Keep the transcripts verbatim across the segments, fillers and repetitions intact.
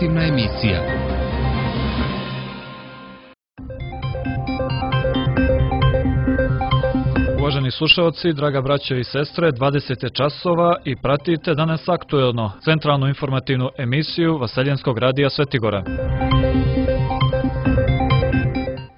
informativna emisija. Uvaženi slušalci, draga braćo i sestre, dvadeset je časova i pratite danas aktuelno centralnu informativnu emisiju Vaseljenskog radija Svetigora.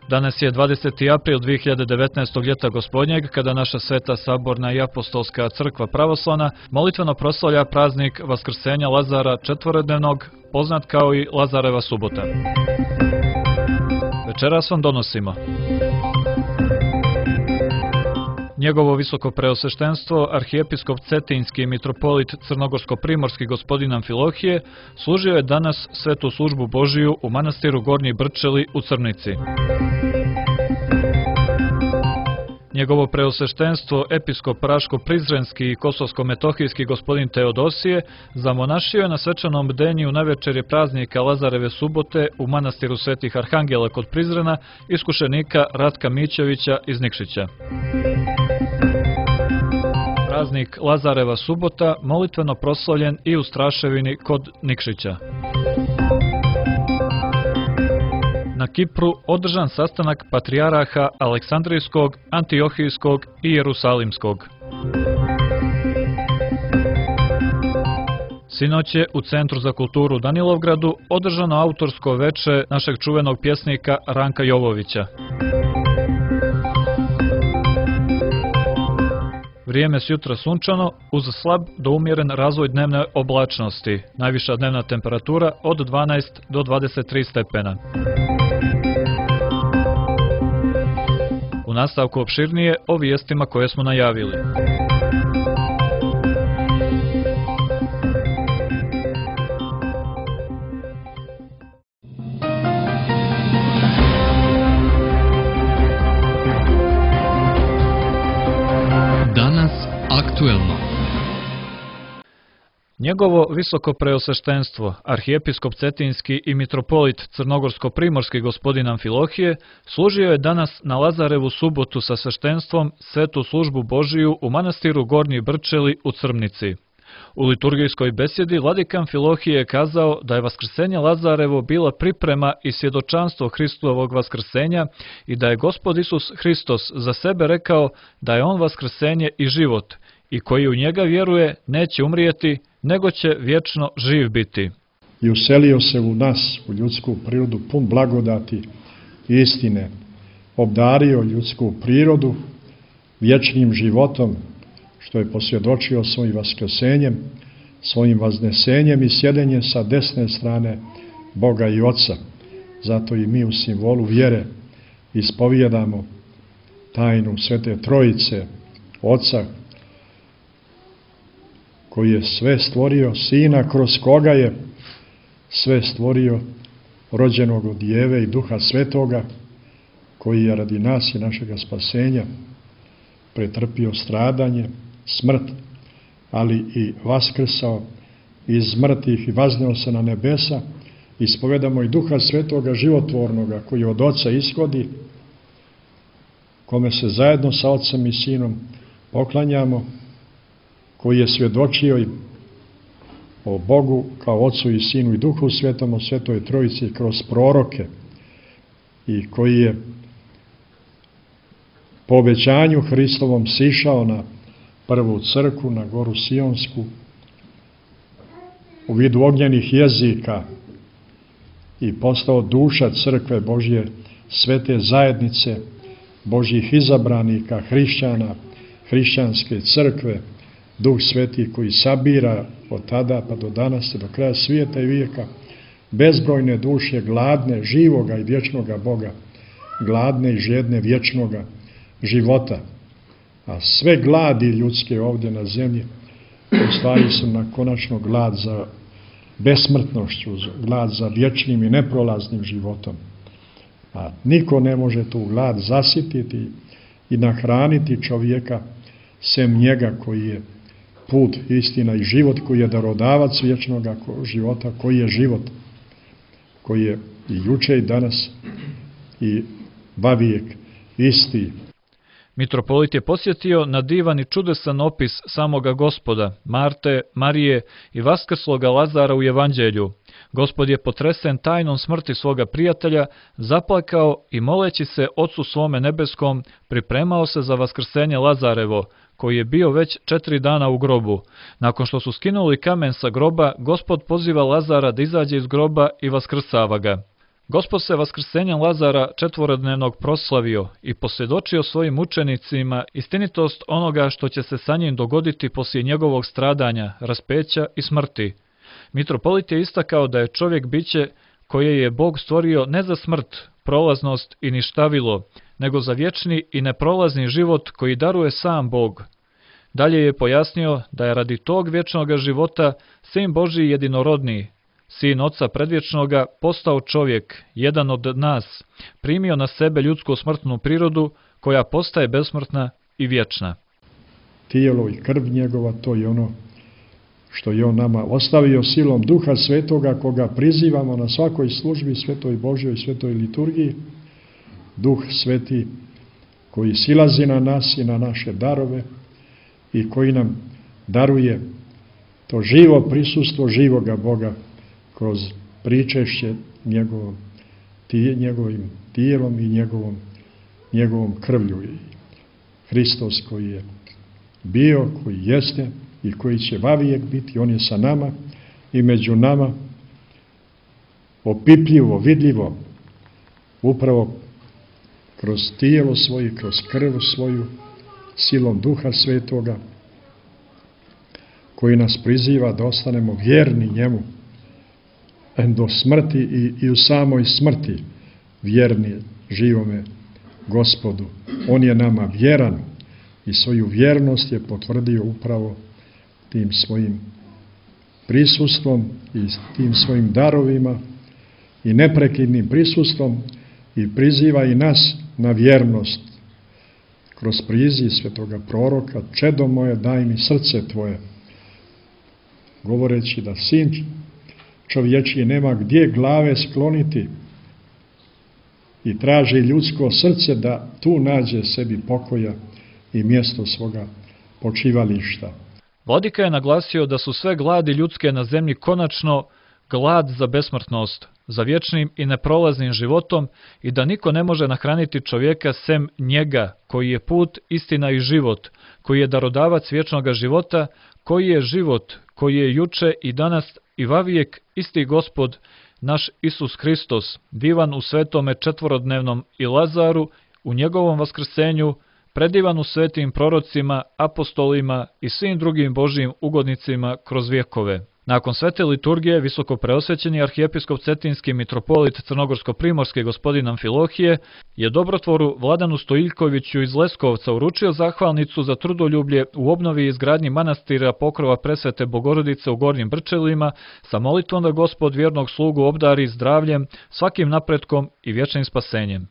Danas je dvadeseti april dve hiljade devetnaestog. ljeta gospodnjeg, kada naša Sveta Saborna i Apostolska crkva pravoslavna molitveno proslavlja praznik Vaskrsenja Lazara četvorodnevnog, poznat kao i Lazareva subota. Večeras vam donosimo njegovo visoko preosveštenstvo, arhijepiskop Cetinjski i mitropolit Crnogorsko-primorski gospodin Amfilohije, služio je danas svetu službu Božiju u manastiru Gornji Brčeli u Crnici. Njegovo preosveštenstvo, episkop Raško-Prizrenski i Kosovsko-metohijski gospodin Teodosije, zamonašio je na svečanom bdenju na večeri praznika Lazareve subote u manastiru Svetih Arhangela kod Prizrena iskušenika Ratka Mićevića iz Nikšića. Praznik Lazareva subota molitveno proslavljen i u Straševini kod Nikšića. Na Kipru održan sastanak patrijaraha Aleksandrijskog, Antiohijskog i Jerusalimskog. Sinoć je u Centru za kulturu u Danilovgradu održano autorsko veče našeg čuvenog pjesnika Ranka Jovovića. Vrijeme s jutra sunčano, uz slab do umjeren razvoj dnevne oblačnosti, najviša dnevna temperatura od dvanaest do dvadeset tri stepena. U nastavku opširnije o vijestima koje smo najavili. Danas aktuelno. Njegovo visoko preosveštenstvo, arhijepiskop Cetinjski i mitropolit Crnogorsko-primorski gospodin Amfilohije, služio je danas na Lazarevu subotu sa sveštenstvom svetu službu Božiju u manastiru Gornji Brčeli u Crnici. U liturgijskoj besjedi vladika Amfilohije je kazao da je vaskrsenje Lazarevo bila priprema i svjedočanstvo Hristovog vaskrsenja i da je Gospod Isus Hristos za sebe rekao da je on vaskrsenje i život i koji u njega vjeruje neće umrijeti, nego će vječno živ biti. I uselio se u nas, u ljudsku prirodu, pun blagodati i istine, obdario ljudsku prirodu vječnim životom, što je posvjedočio svojim vaskrsenjem, svojim vaznesenjem i sjedenjem sa desne strane Boga i Oca. Zato i mi u simbolu vjere ispovijedamo tajnu Svete Trojice, Oca, koji je sve stvorio, Sina kroz koga je sve stvorio, rođenog od Djeve i Duha Svetoga, koji je radi nas i našega spasenja pretrpio stradanje, smrt, ali i vaskrsao iz mrtvih i vazneo se na nebesa. Ispovedamo i Duha Svetoga životvornoga, koji od Oca ishodi, kome se zajedno sa Ocem i Sinom poklanjamo, koji je svjedočio i o Bogu kao Ocu i Sinu i Duhu Svetom, o Svetoj Trojici kroz proroke, i koji je po obećanju Hristovom sišao na prvu crkvu, na goru Sionsku, u vidu ognjenih jezika i postao duša crkve Božje, svete zajednice Božjih izabranika, hrišćana, hrišćanske crkve, Duh Sveti koji sabira od tada pa do danas, do kraja svijeta i vijeka, bezbrojne duše gladne, živoga i vječnoga Boga, gladne i žedne vječnoga života. A sve gladi ljudske ovdje na zemlji u stvari su na konačno glad za besmrtnošću, glad za vječnim i neprolaznim životom. A niko ne može tu glad zasititi i nahraniti čovjeka sem njega koji je put, istina i život, koji je darodavac vječnoga života, koji je život, koji je i juče i danas i vavijek isti. Mitropolit je posjetio na divan i čudesan opis samoga Gospoda, Marte, Marije i vaskrsloga Lazara u Evanđelju. Gospod je potresen tajnom smrti svoga prijatelja, zaplakao i moleći se Ocu svome nebeskom, pripremao se za vaskrsenje Lazarevo, koji je bio već četiri dana u grobu. Nakon što su skinuli kamen sa groba, Gospod poziva Lazara da izađe iz groba i vaskrsava ga. Gospod se vaskrsenjem Lazara četvorodnevnog proslavio i posvjedočio svojim učenicima istinitost onoga što će se sa njim dogoditi poslije njegovog stradanja, raspeća i smrti. Mitropolit je istakao da je čovjek biće koje je Bog stvorio ne za smrt, prolaznost i ništavilo, nego za vječni i neprolazni život koji daruje sam Bog. Dalje je pojasnio da je radi tog vječnog života Sin Božji jedinorodni, Sin Oca predvječnoga, postao čovjek, jedan od nas, primio na sebe ljudsku smrtnu prirodu koja postaje besmrtna i vječna. Tijelo i krv njegova, to je ono što je on nama ostavio silom Duha Svetoga, koga prizivamo na svakoj službi, Svetoj Božjoj i Svetoj liturgiji. Duh Sveti koji silazi na nas i na naše darove i koji nam daruje to živo prisustvo živoga Boga kroz pričešće njegovom, tije, njegovim tijelom i njegovom, njegovom krvlju. I Hristos koji je bio, koji jeste i koji će vavijek biti, on je sa nama i među nama, opipljivo, vidljivo, upravo kroz tijelo svoje, kroz krv svoju, silom Duha Svetoga, koji nas priziva da ostanemo vjerni njemu do smrti i, i u samoj smrti vjerni živome Gospodu. On je nama vjeran i svoju vjernost je potvrdio upravo tim svojim prisustvom i tim svojim darovima i neprekidnim prisustvom i priziva i nas na vjernost kroz priziv svetoga proroka: čedo moje, daj mi srce tvoje, govoreći da sin čovječiji nema gdje glave skloniti i traži ljudsko srce da tu nađe sebi pokoja i mjesto svoga počivališta. Vladika je naglasio da su sve gladi ljudske na zemlji konačno glad za besmrtnost, za vječnim i neprolaznim životom i da niko ne može nahraniti čovjeka sem njega, koji je put, istina i život, koji je darodavac vječnoga života, koji je život, koji je juče i danas i vavijek isti Gospod, naš Isus Hristos, divan u svetome četvorodnevnom i Lazaru, u njegovom vaskrsenju, predivan u svetim prorocima, apostolima i svim drugim Božjim ugodnicima kroz vjekove. Nakon svete liturgije, visoko preosvećeni arhijepiskop Cetinski mitropolit Crnogorsko-primorski gospodin Amfilohije je dobrotvoru Vladanu Stojiljkoviću iz Leskovca uručio zahvalnicu za trudoljublje u obnovi i izgradnji manastira Pokrova Presvete Bogorodice u Gornjim Brčelima sa molitvom da Gospod vjernog slugu obdari zdravljem, svakim napretkom i vječnim spasenjem.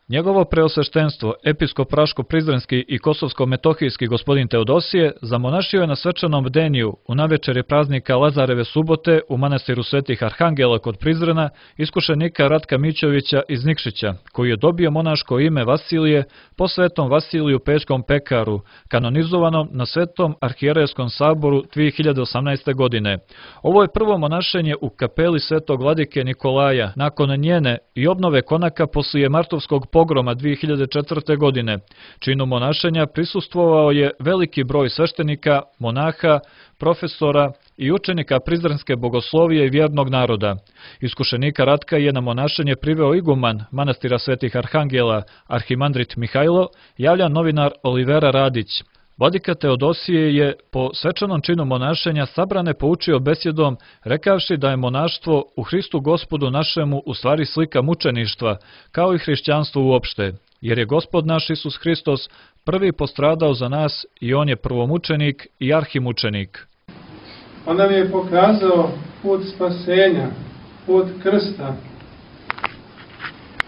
Njegovo preosveštenstvo, episkop Raško-Prizrenski i Kosovsko-Metohijski gospodin Teodosije, zamonašio je na svečanom bdeniju u navečeri praznika Lazareve subote u manastiru Svetih Arhangela kod Prizrena iskušenika Ratka Mićovića iz Nikšića, koji je dobio monaško ime Vasilije po svetom Vasiliju Pećkom pekaru, kanonizovanom na svetom arhijerejskom saboru dvije hiljade osamnaeste. godine. Ovo je prvo monašenje u kapeli svetog vladike Nikolaja, nakon njene i obnove konaka poslije martovskog pogroma dvije hiljade četvrte. godine. Činu monašenja prisustvovao je veliki broj sveštenika, monaha, profesora i učenika Prizrenske bogoslovije i vjernog naroda. Iskušenika Ratka je na monašenje priveo iguman manastira Svetih Arhangela, arhimandrit Mihajlo, javlja novinar Olivera Radić. Vladika Teodosije je po svečanom činu monašenja sabrane poučio besjedom, rekavši da je monaštvo u Hristu Gospodu našemu u stvari slika mučeništva, kao i hrišćanstvo uopšte, jer je Gospod naš Isus Hristos prvi postradao za nas i on je prvomučenik i arhimučenik. On nam je pokazao put spasenja, put krsta.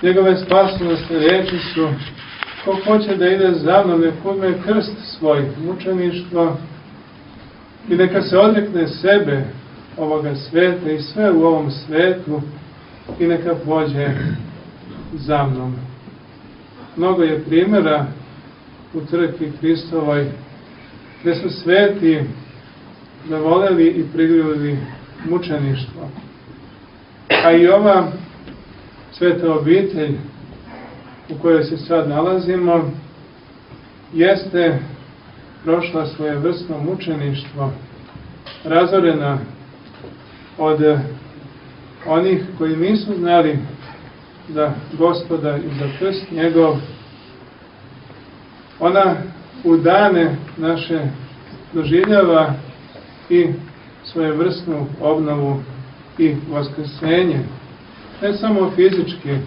Njegove spasonosne riječi su: ko hoće da ide za mnom, nek uzme krst svoj, mučeništvo, i neka se odrekne sebe ovoga sveta i sve u ovom svetu i neka pođe za mnom. Mnogo je primjera u crkvi Hristovoj gdje su sveti zavoleli i prigrlili mučeništvo. A i ova sveta obitelj u kojoj se sad nalazimo jeste prošla svojevrsno mučeništvo, razorena od onih koji nisu znali za Gospoda i za krst njegov. Ona u dane naše doživljava i svojevrsnu obnovu i vaskrsenje, ne samo fizički,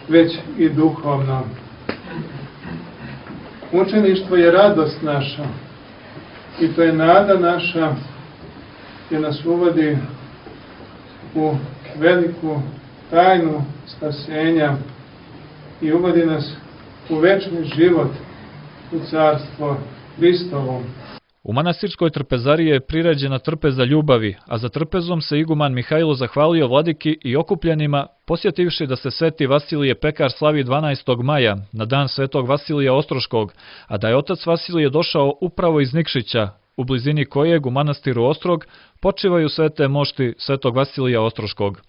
već i duhovno. Mučeništvo je radost naša i to je nada naša gdje nas uvodi u veliku tajnu spasenja i uvodi nas u večni život, u carstvo Hristovo. U manastirskoj trpezariji je priređena trpeza ljubavi, a za trpezom se iguman Mihajlo zahvalio vladiki i okupljenima, posjetivši da se sveti Vasilije Pekar slavi dvanaestog maja, na dan svetog Vasilija Ostroškog, a da je otac Vasilije došao upravo iz Nikšića, u blizini kojeg u manastiru Ostrog počivaju svete mošti svetog Vasilija Ostroškog.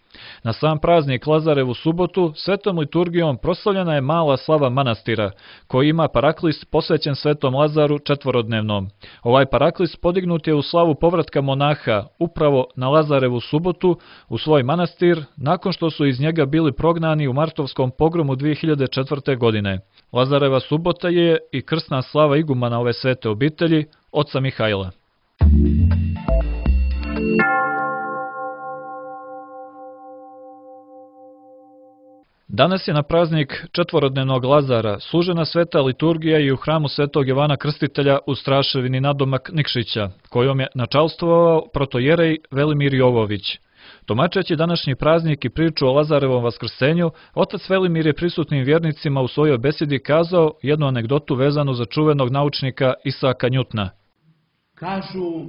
Na sam praznik Lazarevu subotu svetom liturgijom proslavljena je mala slava manastira, koji ima paraklis posvećen svetom Lazaru četvorodnevnom. Ovaj paraklis podignut je u slavu povratka monaha upravo na Lazarevu subotu u svoj manastir, nakon što su iz njega bili prognani u martovskom pogromu dvije hiljade četvrte. godine. Lazareva subota je i krsna slava igumana ove svete obitelji, oca Mihajla. Danas je na praznik četvorodnevnog Lazara služena sveta liturgija i u hramu svetog Jovana Krstitelja u Straševini nadomak Nikšića, kojom je načalstvovao protojerej Velimir Jovović. Tumačeći današnji praznik i priču o Lazarevom vaskrsenju, otac Velimir je prisutnim vjernicima u svojoj besedi kazao jednu anegdotu vezanu za čuvenog naučnika Isaka Njutna. Kažu,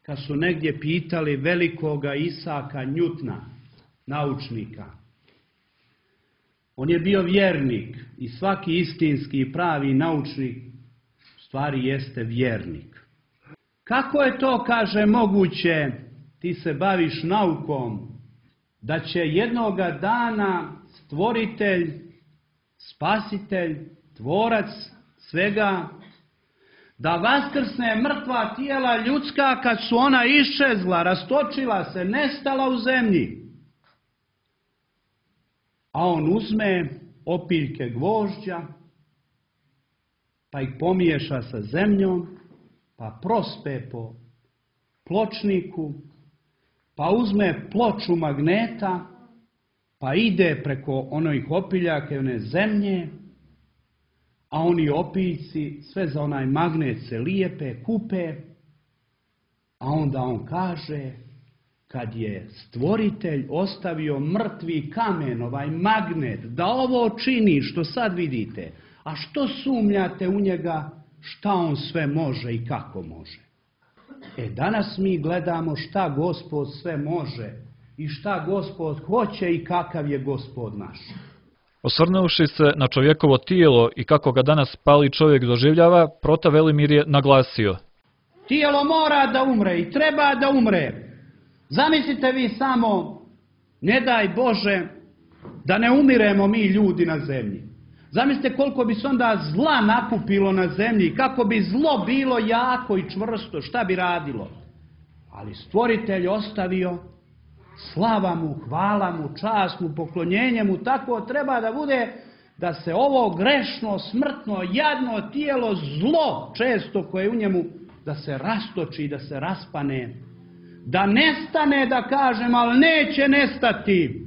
kad su negdje pitali velikoga Isaka Njutna, naučnika, on je bio vjernik i svaki istinski i pravi naučnik u stvari jeste vjernik. Kako je to, kaže, moguće, ti se baviš naukom, da će jednoga dana stvoritelj, spasitelj, tvorac svega, da vaskrsne mrtva tijela ljudska kad su ona iščezla, rastočila se, nestala u zemlji. A on uzme opiljke gvožđa, pa ih pomiješa sa zemljom, pa prospe po pločniku, pa uzme ploču magneta, pa ide preko onih opiljaka i one zemlje, a oni opiljci sve za onaj magnet se lijepe, kupe, a onda on kaže, kad je stvoritelj ostavio mrtvi kamen, ovaj magnet, da ovo čini što sad vidite, a što sumnjate u njega, šta on sve može i kako može. E danas mi gledamo šta Gospod sve može i šta Gospod hoće i kakav je Gospod naš. Osvrnuvši se na čovjekovo tijelo i kako ga danas pali čovjek doživljava, prota Velimir je naglasio. Tijelo mora da umre i treba da umre. Zamislite vi samo, ne daj Bože, da ne umiremo mi ljudi na zemlji. Zamislite koliko bi se onda zla nakupilo na zemlji, kako bi zlo bilo jako i čvrsto, šta bi radilo. Ali stvoritelj ostavio, slava mu, hvala mu, čast mu, poklonjenje mu, tako treba da bude da se ovo grešno, smrtno, jadno tijelo, zlo često koje je u njemu, da se rastoči, da se raspane. Da nestane, da kažem, ali neće nestati.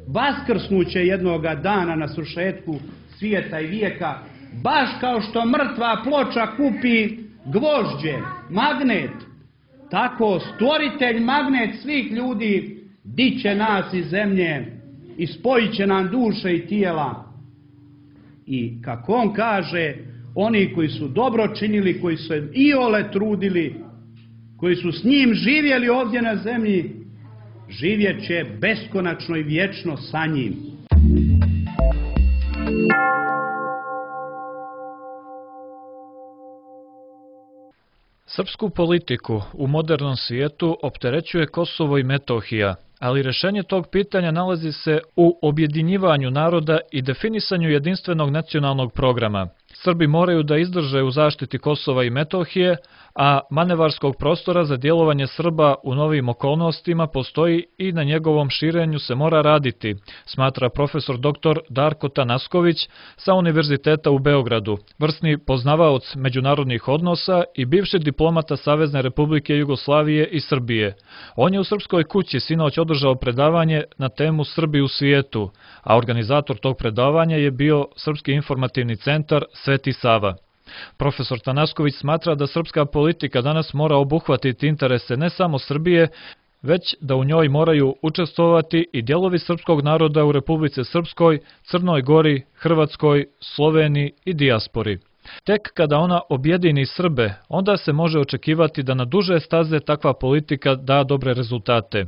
Vaskrsnuće jednoga dana na svršetku svijeta i vijeka, baš kao što mrtva ploča kupi gvožđe, magnet, tako stvoritelj magnet svih ljudi diće nas iz zemlje i spojit će nam duše i tijela. I kako on kaže, oni koji su dobro činili, koji su iole trudili, koji su s njim živjeli ovdje na zemlji, živjet će beskonačno i vječno sa njim. Srpsku politiku u modernom svijetu opterećuje Kosovo i Metohija, ali rješenje tog pitanja nalazi se u objedinjivanju naroda i definisanju jedinstvenog nacionalnog programa. Srbi moraju da izdrže u zaštiti Kosova i Metohije, a manevarskog prostora za djelovanje Srba u novim okolnostima postoji i na njegovom širenju se mora raditi, smatra profesor doktor Darko Tanasković sa Univerziteta u Beogradu, vrsni poznavaoc međunarodnih odnosa i bivši diplomata Savezne Republike Jugoslavije i Srbije. On je u Srpskoj kući sinoć održao predavanje na temu Srbi u svijetu, a organizator tog predavanja je bio Srpski informativni centar Sveti Sava. Profesor Tanasković smatra da srpska politika danas mora obuhvatiti interese ne samo Srbije, već da u njoj moraju učestvovati i dijelovi srpskog naroda u Republici Srpskoj, Crnoj Gori, Hrvatskoj, Sloveniji i dijaspori. Tek kada ona objedini Srbe, onda se može očekivati da na duže staze takva politika da dobre rezultate.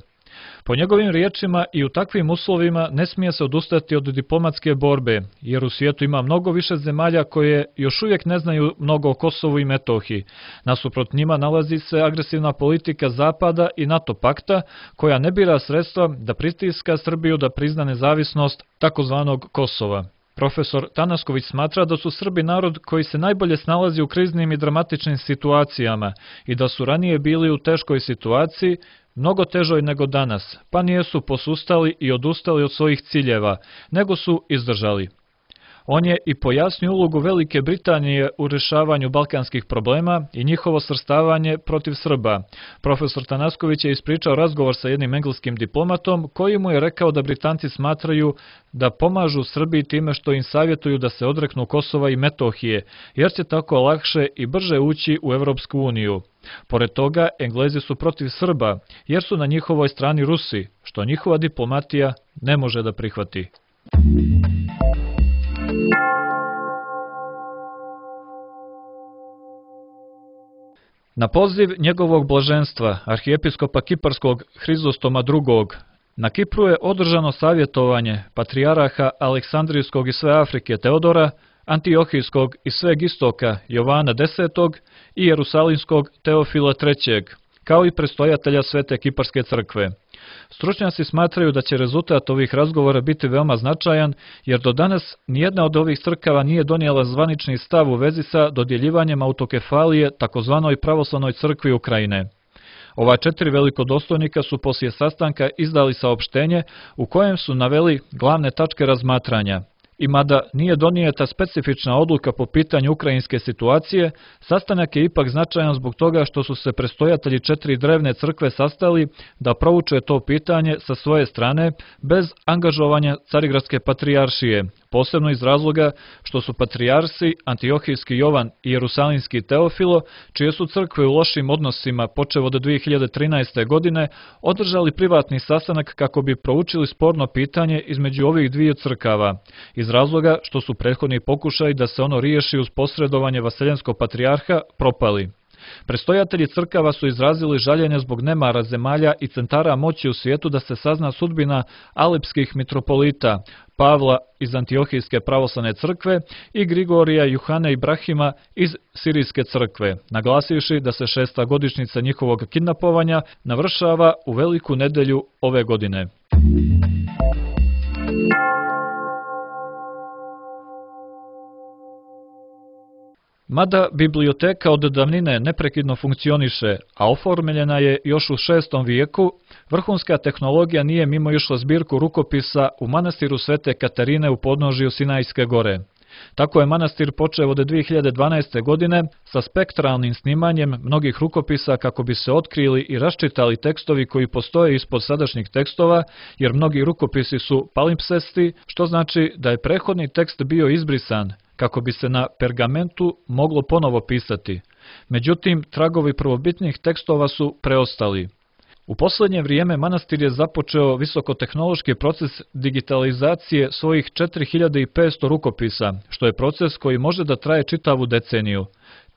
Po njegovim riječima i u takvim uslovima ne smije se odustati od diplomatske borbe, jer u svijetu ima mnogo više zemalja koje još uvijek ne znaju mnogo o Kosovu i Metohiji. Nasuprot njima nalazi se agresivna politika Zapada i NATO pakta, koja ne bira sredstva da pritiska Srbiju da prizna nezavisnost takozvanog Kosova. Profesor Tanasković smatra da su Srbi narod koji se najbolje snalazi u kriznim i dramatičnim situacijama i da su ranije bili u teškoj situaciji, mnogo težoj nego danas, pa nijesu posustali i odustali od svojih ciljeva, nego su izdržali. On je i pojasnio ulogu Velike Britanije u rješavanju balkanskih problema i njihovo svrstavanje protiv Srba. Profesor Tanasković je ispričao razgovor sa jednim engleskim diplomatom koji mu je rekao da Britanci smatraju da pomažu Srbiji time što im savjetuju da se odreknu Kosova i Metohije, jer će tako lakše i brže ući u Evropsku uniju. Pored toga, Englezi su protiv Srba, jer su na njihovoj strani Rusi, što njihova diplomatija ne može da prihvati. Na poziv njegovog blaženstva, arhijepiskopa Kiparskog Hrizostoma drugog, na Kipru je održano savjetovanje patrijaraha Aleksandrijskog i sve Afrike Teodora, Antiohijskog i sveg istoka Jovana desetog i Jerusalimskog Teofila trećeg, kao i prestojatelja Svete Kiparske crkve. Stručnjaci smatraju da će rezultat ovih razgovora biti veoma značajan, jer do danas nijedna od ovih crkava nije donijela zvanični stav u vezi sa dodjeljivanjem autokefalije takozvanoj pravoslavnoj crkvi Ukrajine. Ova četiri velikodostojnika su poslije sastanka izdali saopštenje u kojem su naveli glavne tačke razmatranja. I mada nije donijeta specifična odluka po pitanju ukrajinske situacije, sastanak je ipak značajan zbog toga što su se prestojatelji četiri drevne crkve sastali da prouče to pitanje sa svoje strane bez angažovanja Carigradske patrijaršije, posebno iz razloga što su patrijarsi Antiohijski Jovan i Jerusalimski Teofilo, čije su crkve u lošim odnosima počev od dvije hiljade trinaeste. godine, održali privatni sastanak kako bi proučili sporno pitanje između ovih dviju crkava, iz razloga što su prethodni pokušaji da se ono riješi uz posredovanje Vaseljenskog patrijarha propali. Prestojatelji crkava su izrazili žaljenje zbog nemara zemalja i centara moći u svijetu da se sazna sudbina alepskih mitropolita Pavla iz Antiohijske pravoslavne crkve i Grigorija Juhane Ibrahima iz Sirijske crkve, naglasivši da se šesta godišnjica njihovog kidnapovanja navršava u Veliku nedelju ove godine. Mada biblioteka od davnine neprekidno funkcioniše, a oformljena je još u šestom vijeku, vrhunska tehnologija nije mimo išla zbirku rukopisa u manastiru Svete Katarine u podnožju Sinajske gore. Tako je manastir počeo od dvije hiljade dvanaeste. godine sa spektralnim snimanjem mnogih rukopisa kako bi se otkrili i raščitali tekstovi koji postoje ispod sadašnjih tekstova, jer mnogi rukopisi su palimpsesti, što znači da je prethodni tekst bio izbrisan, kako bi se na pergamentu moglo ponovo pisati. Međutim, tragovi prvobitnih tekstova su preostali. U posljednje vrijeme manastir je započeo visokotehnološki proces digitalizacije svojih četiri hiljade petsto rukopisa, što je proces koji može da traje čitavu deceniju.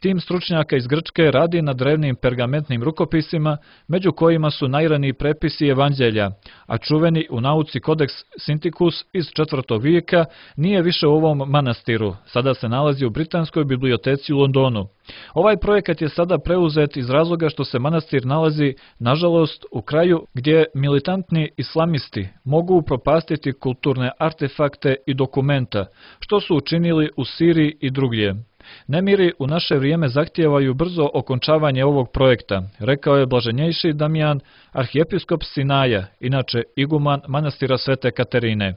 Tim stručnjaka iz Grčke radi na drevnim pergamentnim rukopisima, među kojima su najraniji prepisi evanđelja, a čuveni u nauci Kodeks Sintikus iz četvrtog vijeka nije više u ovom manastiru, sada se nalazi u Britanskoj biblioteci u Londonu. Ovaj projekat je sada preuzet iz razloga što se manastir nalazi, nažalost, u kraju gdje militantni islamisti mogu upropastiti kulturne artefakte i dokumenta, što su učinili u Siriji i drugdje. Nemiri u naše vrijeme zahtijevaju brzo okončavanje ovog projekta, rekao je blaženjejši Damijan, arhijepiskop Sinaja, inače iguman manastira Svete Katerine.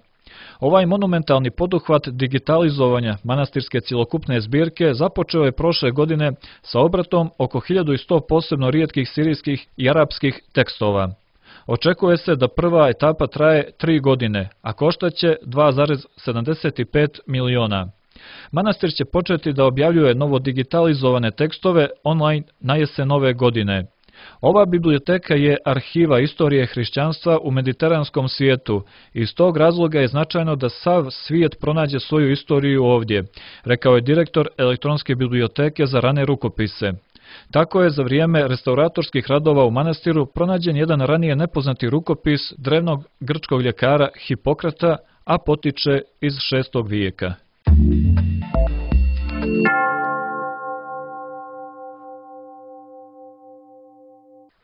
Ovaj monumentalni poduhvat digitalizovanja manastirske cjelokupne zbirke započeo je prošle godine sa obratom oko hiljadu sto posebno rijetkih sirijskih i arapskih tekstova. Očekuje se da prva etapa traje tri godine, a koštaće dva zarez sedamdeset pet miliona. Manastir će početi da objavljuje novo digitalizovane tekstove online na jesen ove godine. Ova biblioteka je arhiva istorije hrišćanstva u mediteranskom svijetu i iz tog razloga je značajno da sav svijet pronađe svoju istoriju ovdje, rekao je direktor elektronske biblioteke za rane rukopise. Tako je za vrijeme restauratorskih radova u manastiru pronađen jedan ranije nepoznati rukopis drevnog grčkog ljekara Hipokrata, a potiče iz šestog vijeka.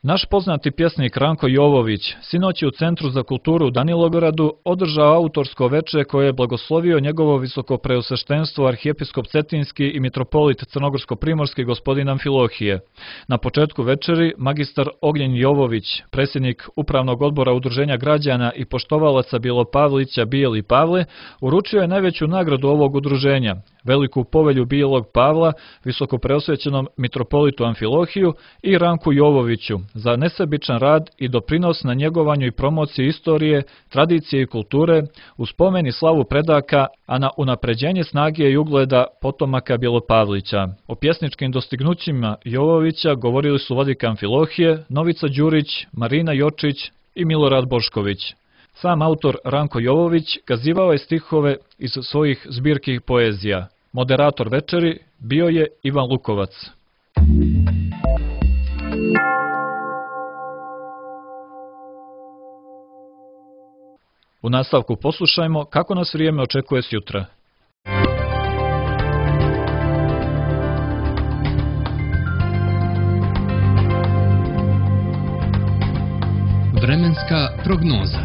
Naš poznati pjesnik Ranko Jovović sinoć je u Centru za kulturu u Danilogradu održao autorsko veče koje je blagoslovio njegovo visokopreosveštenstvo arhijepiskop Cetinski i mitropolit Crnogorsko-primorski gospodin Amfilohije. Na početku večeri magistar Ognjen Jovović, predsjednik Upravnog odbora Udruženja građana i poštovalaca Bjelopavlića Bijeli Pavle, uručio je najveću nagradu ovog udruženja, veliku povelju Bijelog Pavla, visokopreosvećenom mitropolitu Amfilohiju i Ranku Jovoviću za nesebičan rad i doprinos na njegovanju i promociji istorije, tradicije i kulture, u spomen i slavu predaka, a na unapređenje snage i ugleda potomaka Bjelopavlića. O pjesničkim dostignućima Jovovića govorili su vladika Amfilohije, Novica Đurić, Marina Jočić i Milorad Bošković. Sam autor Ranko Jovović kazivao je stihove iz svojih zbirki poezija. Moderator večeri bio je Ivan Lukovac. U nastavku poslušajmo kako nas vrijeme očekuje sjutra. Vremenska prognoza.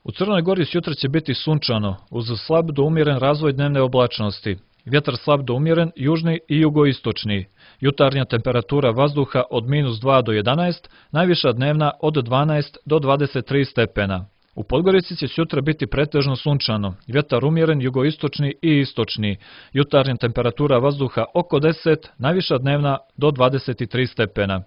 U Crnoj Gori sjutra će biti sunčano, uz slab do umjeren razvoj dnevne oblačnosti. Vjetar slab do umjeren, južni i jugoistočni. Jutarnja temperatura vazduha od minus dva do jedanaest, najviša dnevna od dvanaest do dvadeset tri stepena. U Podgorici će sutra biti pretežno sunčano, vjetar umjeren jugoistočni i istočni. Jutarnja temperatura vazduha oko deset, najviša dnevna do dvadeset tri stepena.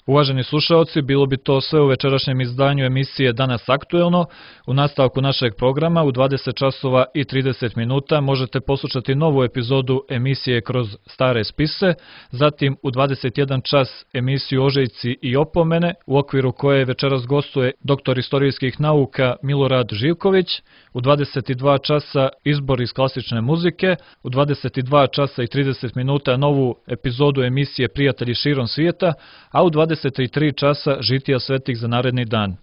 Uvaženi slušaoci, bilo bi to sve u večerašnjem izdanju emisije Danas aktuelno. U nastavku našeg programa u dvadeset časova i trideset minuta možete poslušati novu epizodu emisije Kroz stare spise, zatim u dvadeset jedan čas emisiju Ožejci i opomene, u okviru koje večeras gostuje doktor istorijskih nauka Milorad Živković, u dvadeset dva časa izbor iz klasične muzike, u dvadeset dva časa i trideset minuta novu epizodu emisije Prijatelji širom svijeta, a u dvadeset tri časa žitija svetih za naredni dan.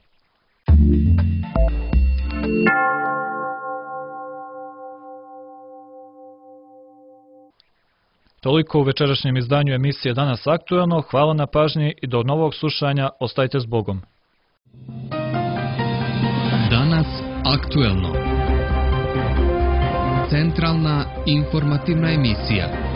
Toliko u večerašnjem izdanju emisije Danas aktuelno. Hvala na pažnji i do novog slušanja. Ostajte s Bogom. Danas aktuelno. Centralna informativna emisija.